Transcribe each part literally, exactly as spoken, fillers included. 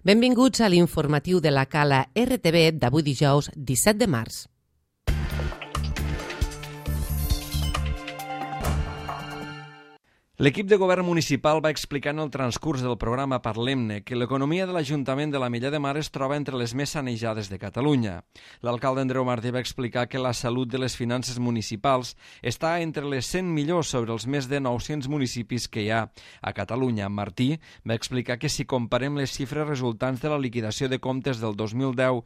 Benvinguts a l'informatiu de la Cala R T V d'avui dijous disset de març. L'equip de govern municipal va explicar en el transcurs del programa Parlem-ne que l'economia de l'Ajuntament de l'Ametlla de Mar es troba entre les més sanejades de Catalunya. L'alcalde Andreu Martí va explicar que la salut de les finances municipals està entre les cent millors sobre els més de nou-cents municipis que hi ha a Catalunya. Martí va explicar que si comparem les xifres resultants de la liquidació de comptes del dos mil deu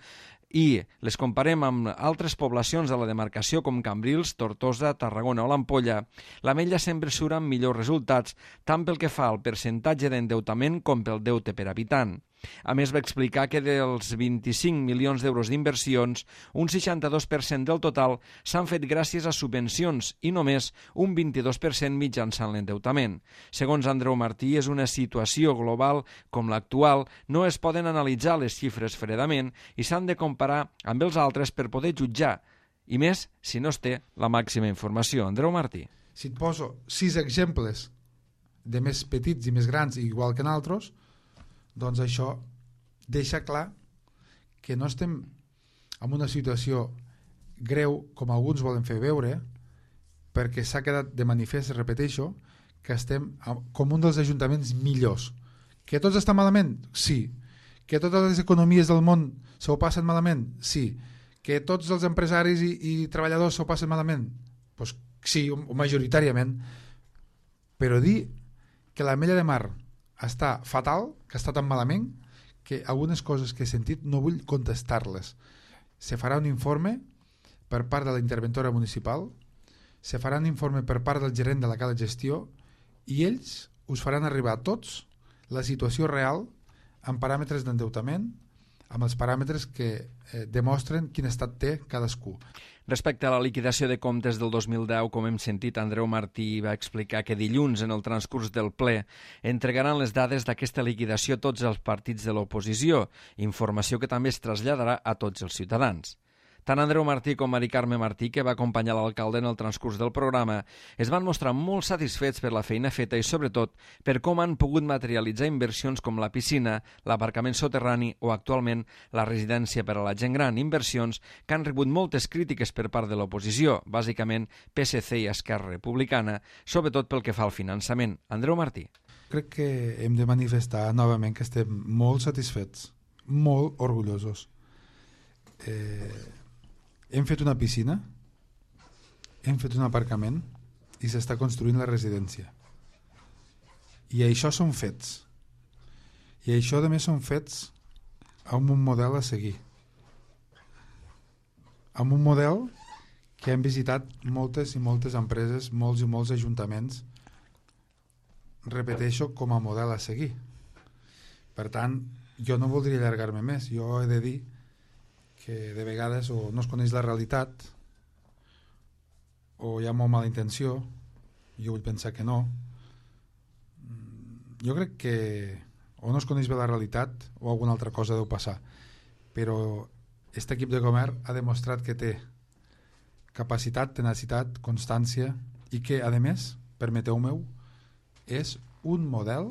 i les comparem amb altres poblacions de la demarcació com Cambrils, Tortosa, Tarragona o l'Ampolla, l'Ametlla sempre surt amb millors resultats tant pel que fa al percentatge d'endeutament com pel deute per habitant. A més, va explicar que dels vint-i-cinc milions d'euros d'inversions, un seixanta-dos per cent del total s'han fet gràcies a subvencions i només un vint-i-dos per cent mitjançant l'endeutament. Segons Andreu Martí, és una situació global com l'actual, no es poden analitzar les xifres fredament i s'han de comparar amb els altres per poder jutjar, i més si no es té la màxima informació. Andreu Martí. Si et poso sis exemples de més petits i més grans, igual que en altres, doncs això deixa clar que no estem en una situació greu com alguns volen fer veure, perquè s'ha quedat de manifest, repeteixo, que estem com un dels ajuntaments millors. Que tots estan malament? Sí. Que totes les economies del món s'ho passen malament? Sí. Que tots els empresaris i, i treballadors s'ho passen malament? Pues sí, majoritàriament. Però dir que l'Ametlla de Mar està fatal, que està tan malament, que algunes coses que he sentit no vull contestar-les. Se farà un informe per part de la interventora municipal, se farà un informe per part del gerent de la Cala Gestió i ells us faran arribar a tots la situació real amb paràmetres d'endeutament, amb els paràmetres que eh, demostren quin estat té cadascú. Respecte a la liquidació de comptes del dos mil deu, com hem sentit, Andreu Martí va explicar que dilluns, en el transcurs del ple, entregaran les dades d'aquesta liquidació a tots els partits de l'oposició, informació que també es traslladarà a tots els ciutadans. Tant Andreu Martí com Mari Carme Martí, que va acompanyar l'alcalde en el transcurs del programa, es van mostrar molt satisfets per la feina feta i, sobretot, per com han pogut materialitzar inversions com la piscina, l'aparcament soterrani o, actualment, la residència per a la gent gran, inversions que han rebut moltes crítiques per part de l'oposició, bàsicament P S C i Esquerra Republicana, sobretot pel que fa al finançament. Andreu Martí. Crec que hem de manifestar novament que estem molt satisfets, molt orgullosos. Eh... Hem fet una piscina, hem fet un aparcament i s'està construint la residència. I això són fets. I això, a més, són fets amb un model a seguir. Amb un model que hem visitat moltes i moltes empreses, molts i molts ajuntaments, repeteixo, com a model a seguir. Per tant, jo no voldria allargar-me més. Jo he de dir que de vegades o no es coneix la realitat o hi ha molt mala intenció, jo vull pensar que no. Jo crec que o no es coneix bé la realitat o alguna altra cosa deu passar, però aquest equip de govern ha demostrat que té capacitat, tenacitat, constància i que, a més, permeteu-meu, és un model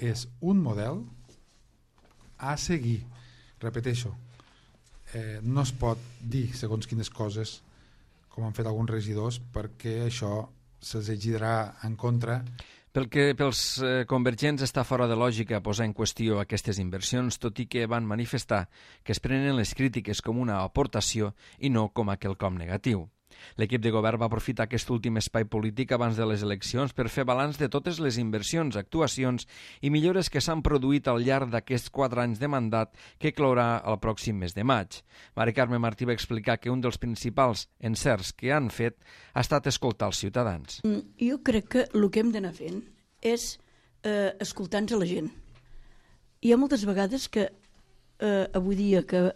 és un model a seguir. Repeteixo, Eh, no es pot dir segons quines coses com han fet alguns regidors perquè això se'ls egidarà en contra. Pel que pels eh, convergents està fora de lògica posar en qüestió aquestes inversions, tot i que van manifestar que es prenen les crítiques com una aportació i no com a quelcom negatiu. L'equip de govern va aprofitar aquest últim espai polític abans de les eleccions per fer balanç de totes les inversions, actuacions i millores que s'han produït al llarg d'aquests quatre anys de mandat que clourà el pròxim mes de maig. Mari Carme Martí va explicar que un dels principals encerts que han fet ha estat escoltar els ciutadans. Jo crec que el que hem d'anar fent és eh, escoltar-nos a la gent. Hi ha moltes vegades que eh, avui dia que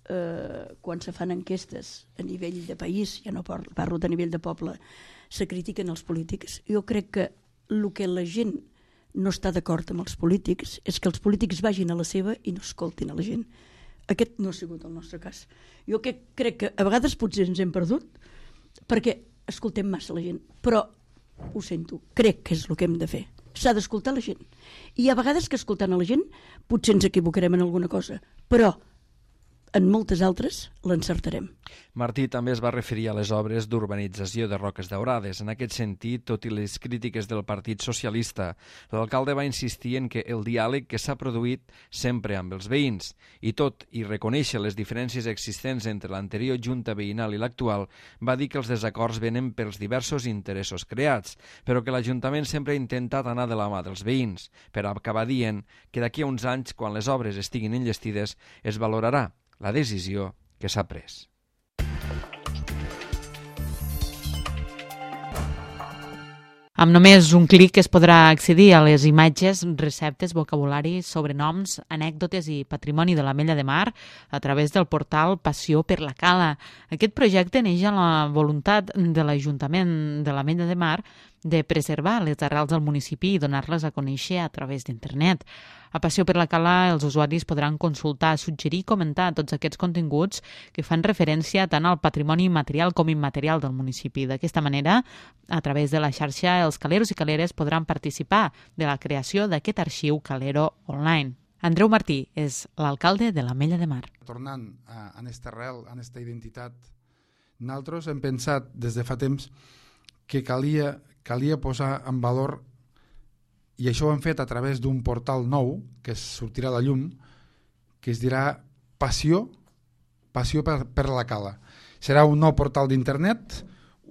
Eh, quan se fan enquestes a nivell de país, ja no parlo de nivell de poble, se critiquen els polítics. Jo crec que el que la gent no està d'acord amb els polítics és que els polítics vagin a la seva i no escoltin a la gent. Aquest no ha sigut el nostre cas. Jo que, crec que a vegades potser ens hem perdut perquè escoltem massa la gent, però ho sento, crec que és el que hem de fer. s'ha d'escoltar la gent. I hi ha vegades que escoltant a la gent potser ens equivocarem en alguna cosa, però en moltes altres l'encertarem. Martí també es va referir a les obres d'urbanització de Roques Daurades. En aquest sentit, tot i les crítiques del Partit Socialista, l'alcalde va insistir en que el diàleg que s'ha produït sempre amb els veïns, i tot i reconèixer les diferències existents entre l'anterior junta veïnal i l'actual, va dir que els desacords venen pels diversos interessos creats, però que l'Ajuntament sempre ha intentat anar de la mà dels veïns, per acabar dient que d'aquí a uns anys, quan les obres estiguin enllestides, es valorarà la decisió que s'ha pres. Amb només un clic es podrà accedir a les imatges, receptes, vocabulari, sobrenoms, anècdotes i patrimoni de l'Ametlla de Mar a través del portal Passió per la Cala. Aquest projecte neix amb la voluntat de l'Ajuntament de l'Ametlla de Mar de preservar les arrels del municipi i donar-les a conèixer a través d'internet. A Passió per la Cala els usuaris podran consultar, suggerir i comentar tots aquests continguts que fan referència tant al patrimoni material com immaterial del municipi. D'aquesta manera, a través de la xarxa, els caleros i caleres podran participar de la creació d'aquest arxiu calero online. Andreu Martí és l'alcalde de l'Ametlla de Mar. Tornant a aquesta arrel, a aquesta identitat, nosaltres hem pensat des de fa temps que calia, calia posar en valor, i això ho hem fet a través d'un portal nou que sortirà a la llum, que es dirà Passió, Passió per, per la Cala. Serà un nou portal d'internet,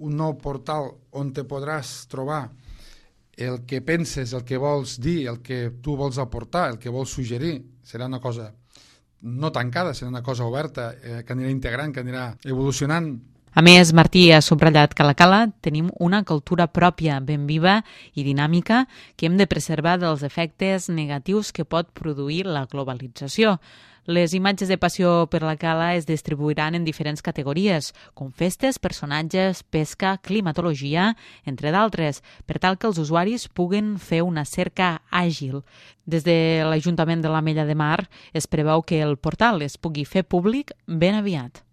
un nou portal on te podràs trobar el que penses, el que vols dir, el que tu vols aportar, el que vols suggerir. Serà una cosa no tancada, serà una cosa oberta, eh, que anirà integrant, que anirà evolucionant. A més, Martí ha subratllat que a la Cala tenim una cultura pròpia, ben viva i dinàmica, que hem de preservar dels efectes negatius que pot produir la globalització. Les imatges de Passió per la Cala es distribuiran en diferents categories, com festes, personatges, pesca, climatologia, entre d'altres, per tal que els usuaris puguen fer una cerca àgil. Des de l'Ajuntament de l'Ametlla de Mar es preveu que el portal es pugui fer públic ben aviat.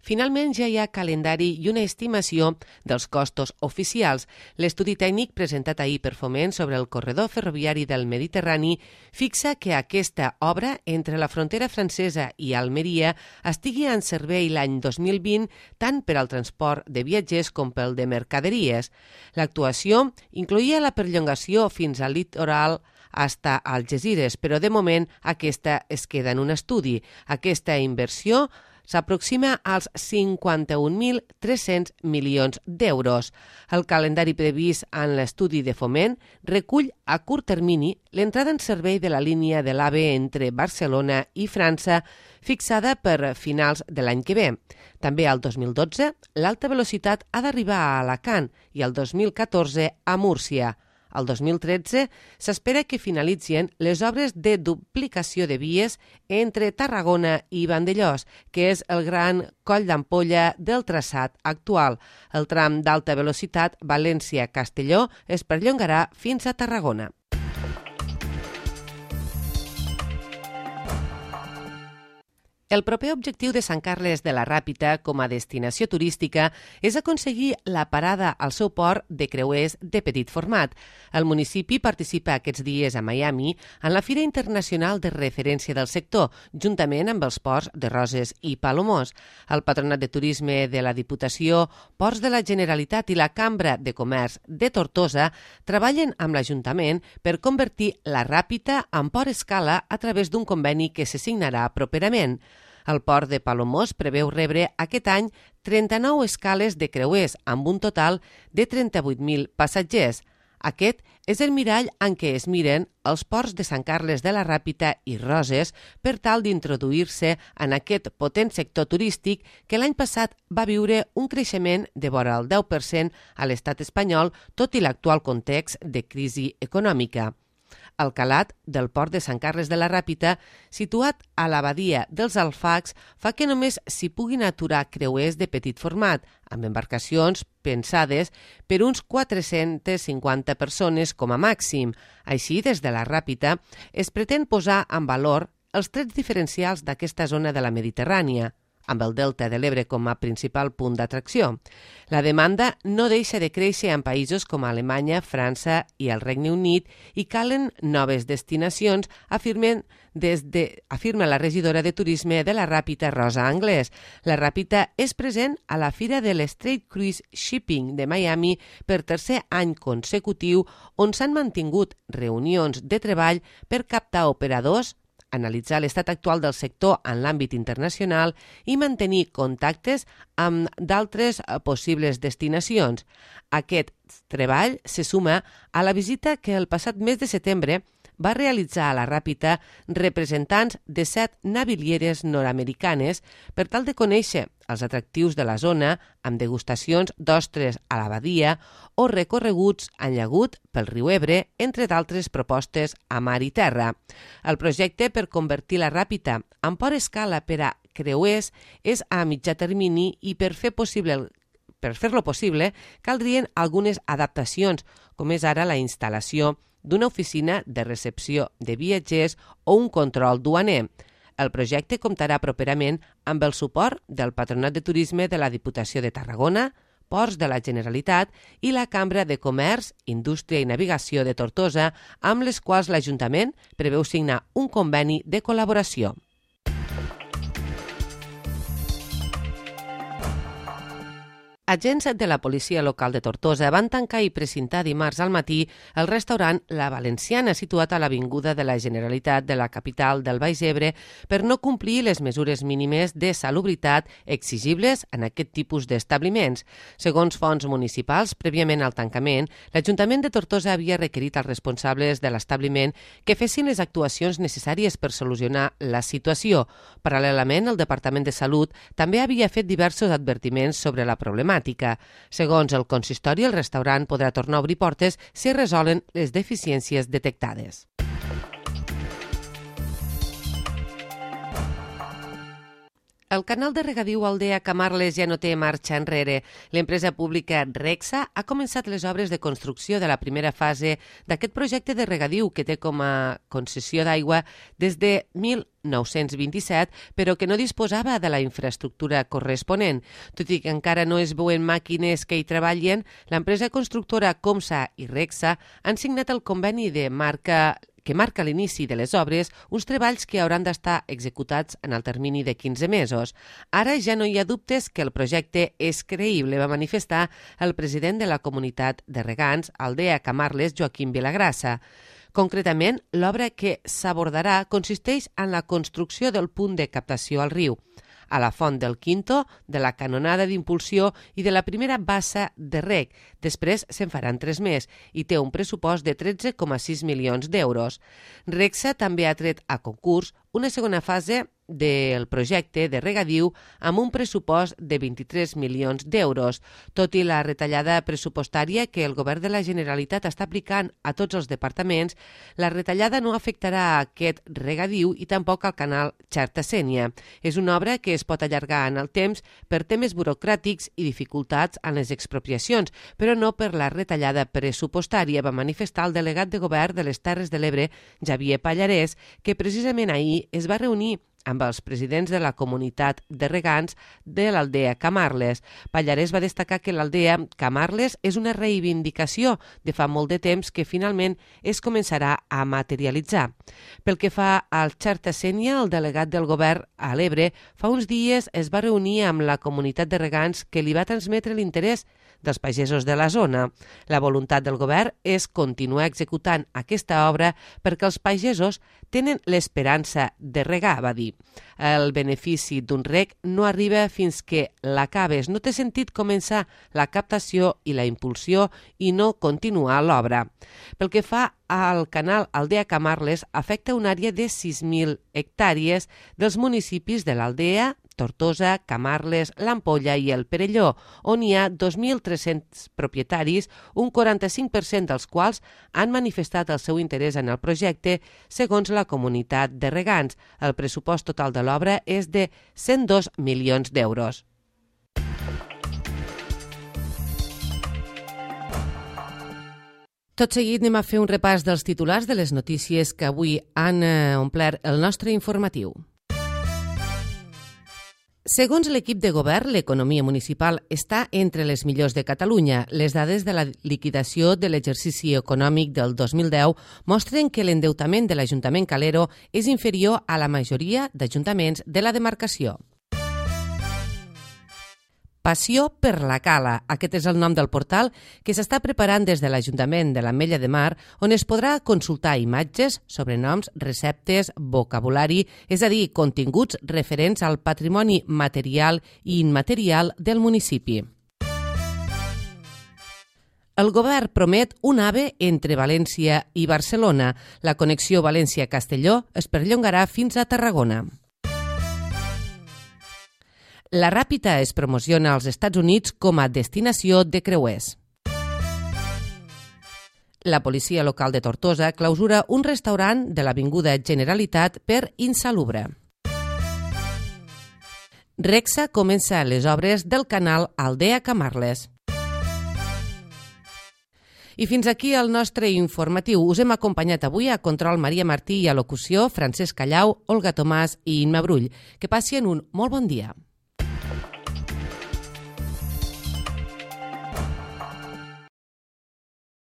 Finalment ja hi ha calendari i una estimació dels costos oficials. L'estudi tècnic presentat ahir per Foment sobre el corredor ferroviari del Mediterrani fixa que aquesta obra entre la frontera francesa i Almeria estigui en servei l'any dos mil vint tant per al transport de viatgers com pel de mercaderies. L'actuació incloïa la perllongació fins al litoral hasta Algesires, però de moment aquesta es queda en un estudi. Aquesta inversió s'aproxima als cinquanta-un mil tres-cents milions d'euros. El calendari previst en l'estudi de Foment recull a curt termini l'entrada en servei de la línia de l'AVE entre Barcelona i França fixada per finals de l'any que ve. També al dos mil dotze l'alta velocitat ha d'arribar a Alacant i al dos mil catorze a Múrcia. Al dos mil tretze s'espera que finalitzin les obres de duplicació de vies entre Tarragona i Vandellòs, que és el gran coll d'ampolla del traçat actual. El tram d'alta velocitat València-Castelló es perllongarà fins a Tarragona. El proper objectiu de Sant Carles de la Ràpita com a destinació turística és aconseguir la parada al seu port de creuers de petit format. El municipi participa aquests dies a Miami en la Fira Internacional de Referència del Sector, juntament amb els ports de Roses i Palomós. El Patronat de Turisme de la Diputació, Ports de la Generalitat i la Cambra de Comerç de Tortosa treballen amb l'Ajuntament per convertir la Ràpita en port escala a través d'un conveni que se signarà properament. El port de Palomós preveu rebre aquest any trenta-nou escales de creuers amb un total de trenta-vuit mil passatgers. Aquest és el mirall en què es miren els ports de Sant Carles de la Ràpita i Roses per tal d'introduir-se en aquest potent sector turístic que l'any passat va viure un creixement de vora el deu per cent a l'estat espanyol, tot i l'actual context de crisi econòmica. El calat del port de Sant Carles de la Ràpita, situat a la badia dels Alfacs, fa que només s'hi puguin aturar creuers de petit format, amb embarcacions pensades per uns quatre-centes cinquanta persones com a màxim. Així, des de la Ràpita, es pretén posar en valor els trets diferencials d'aquesta zona de la Mediterrània. amb el Delta de l'Ebre com a principal punt d'atracció. La demanda no deixa de créixer en països com Alemanya, França i el Regne Unit i calen noves destinacions, afirmen des de, afirma la regidora de Turisme de la Ràpita, Rosa Anglès. La Ràpita és present a la Fira de l'Straight Cruise Shipping de Miami per tercer any consecutiu, on s'han mantingut reunions de treball per captar operadors, analitzar l'estat actual del sector en l'àmbit internacional i mantenir contactes amb d'altres possibles destinacions. Aquest treball se suma a la visita que el passat mes de setembre va realitzar a la Ràpita representants de set navilieres nord-americanes per tal de conèixer els atractius de la zona amb degustacions d'ostres a la badia o recorreguts en llagut pel riu Ebre, entre d'altres propostes a mar i terra. El projecte per convertir la Ràpita en port escala per a creuers és a mitjà termini i per fer possible el Per fer-lo possible, caldrien algunes adaptacions, com és ara la instal·lació d'una oficina de recepció de viatgers o un control duaner. El projecte comptarà properament amb el suport del Patronat de Turisme de la Diputació de Tarragona, Ports de la Generalitat i la Cambra de Comerç, Indústria i Navegació de Tortosa, amb les quals l'Ajuntament preveu signar un conveni de col·laboració. Agents de la policia local de Tortosa van tancar i precintar dimarts al matí el restaurant La Valenciana, situat a l'Avinguda de la Generalitat de la capital del Baix Ebre, per no complir les mesures mínimes de salubritat exigibles en aquest tipus d'establiments. Segons fonts municipals, prèviament al tancament, l'Ajuntament de Tortosa havia requerit als responsables de l'establiment que fessin les actuacions necessàries per solucionar la situació. Paral·lelament, el Departament de Salut també havia fet diversos advertiments sobre la problemàtica. Segons el consistori, el restaurant podrà tornar a obrir portes si es resolen les deficiències detectades. El canal de regadiu Aldea Camarles ja no té marxa enrere. L'empresa pública Rexa ha començat les obres de construcció de la primera fase d'aquest projecte de regadiu que té com a concessió d'aigua des de mil nou-cents vint-i-set, però que no disposava de la infraestructura corresponent. Tot i que encara no es veuen màquines que hi treballen, l'empresa constructora Comsa i Rexa han signat el conveni de marca que marca l'inici de les obres, uns treballs que hauran d'estar executats en el termini de quinze mesos. Ara ja no hi ha dubtes que el projecte és creïble, va manifestar el president de la comunitat de regants, Aldea Camarles, Joaquim Vilagrassa. Concretament, l'obra que s'abordarà consisteix en la construcció del punt de captació al riu, a la font del Quinto, de la canonada d'impulsió i de la primera bassa de reg. Després se'n faran tres més i té un pressupost de tretze coma sis milions d'euros. Rexa també ha tret a concurs una segona fase del projecte de regadiu amb un pressupost de vint-i-tres milions d'euros. Tot i la retallada pressupostària que el Govern de la Generalitat està aplicant a tots els departaments, la retallada no afectarà a aquest regadiu i tampoc al canal Xarta-Sénia. És una obra que es pot allargar en el temps per temes burocràtics i dificultats en les expropiacions, però no per la retallada pressupostària, va manifestar el delegat de Govern de les Terres de l'Ebre, Xavier Pallarès, que precisament ahir es va reunir amb els presidents de la comunitat de regants de l'Aldea Camarles. Pallarès va destacar que l'Aldea Camarles és una reivindicació de fa molt de temps que finalment es començarà a materialitzar. Pel que fa al Xarta-Sénia, el delegat del govern a l'Ebre fa uns dies es va reunir amb la comunitat de regants que li va transmetre l'interès dels pagesos de la zona. La voluntat del govern és continuar executant aquesta obra perquè els pagesos tenen l'esperança de regar, va dir. El benefici d'un reg no arriba fins que l'acabes. No té sentit començar la captació i la impulsió i no continuar l'obra. Pel que fa al canal Aldea Camarles, afecta una àrea de sis mil hectàrees dels municipis de l'Aldea, Tortosa, Camarles, l'Ampolla i el Perelló, on hi ha dos mil tres-cents propietaris, un quaranta-cinc per cent dels quals han manifestat el seu interès en el projecte, segons la comunitat de regants. El pressupost total de l'obra és de cent dos milions d'euros. Tot seguit anem a fer un repàs dels titulars de les notícies que avui han omplert el nostre informatiu. Segons l'equip de govern, l'economia municipal està entre les millors de Catalunya. Les dades de la liquidació de l'exercici econòmic del dos mil deu mostren que l'endeutament de l'Ajuntament Calero és inferior a la majoria d'ajuntaments de la demarcació. Passió per la Cala. Aquest és el nom del portal que s'està preparant des de l'Ajuntament de l'Ametlla de Mar, on es podrà consultar imatges, sobrenoms, receptes, vocabulari, és a dir, continguts referents al patrimoni material i immaterial del municipi. El govern promet un AVE entre València i Barcelona. La connexió València-Castelló es perllongarà fins a Tarragona. La Ràpita es promociona als Estats Units com a destinació de creuers. La policia local de Tortosa clausura un restaurant de l'Avinguda Generalitat per insalubre. Rexa comença les obres del canal Aldea-Camarles. I fins aquí el nostre informatiu. Us hem acompanyat avui a Control Maria Martí i a locució Francesc Callau, Olga Tomàs i Imma Brull. Que passin un molt bon dia.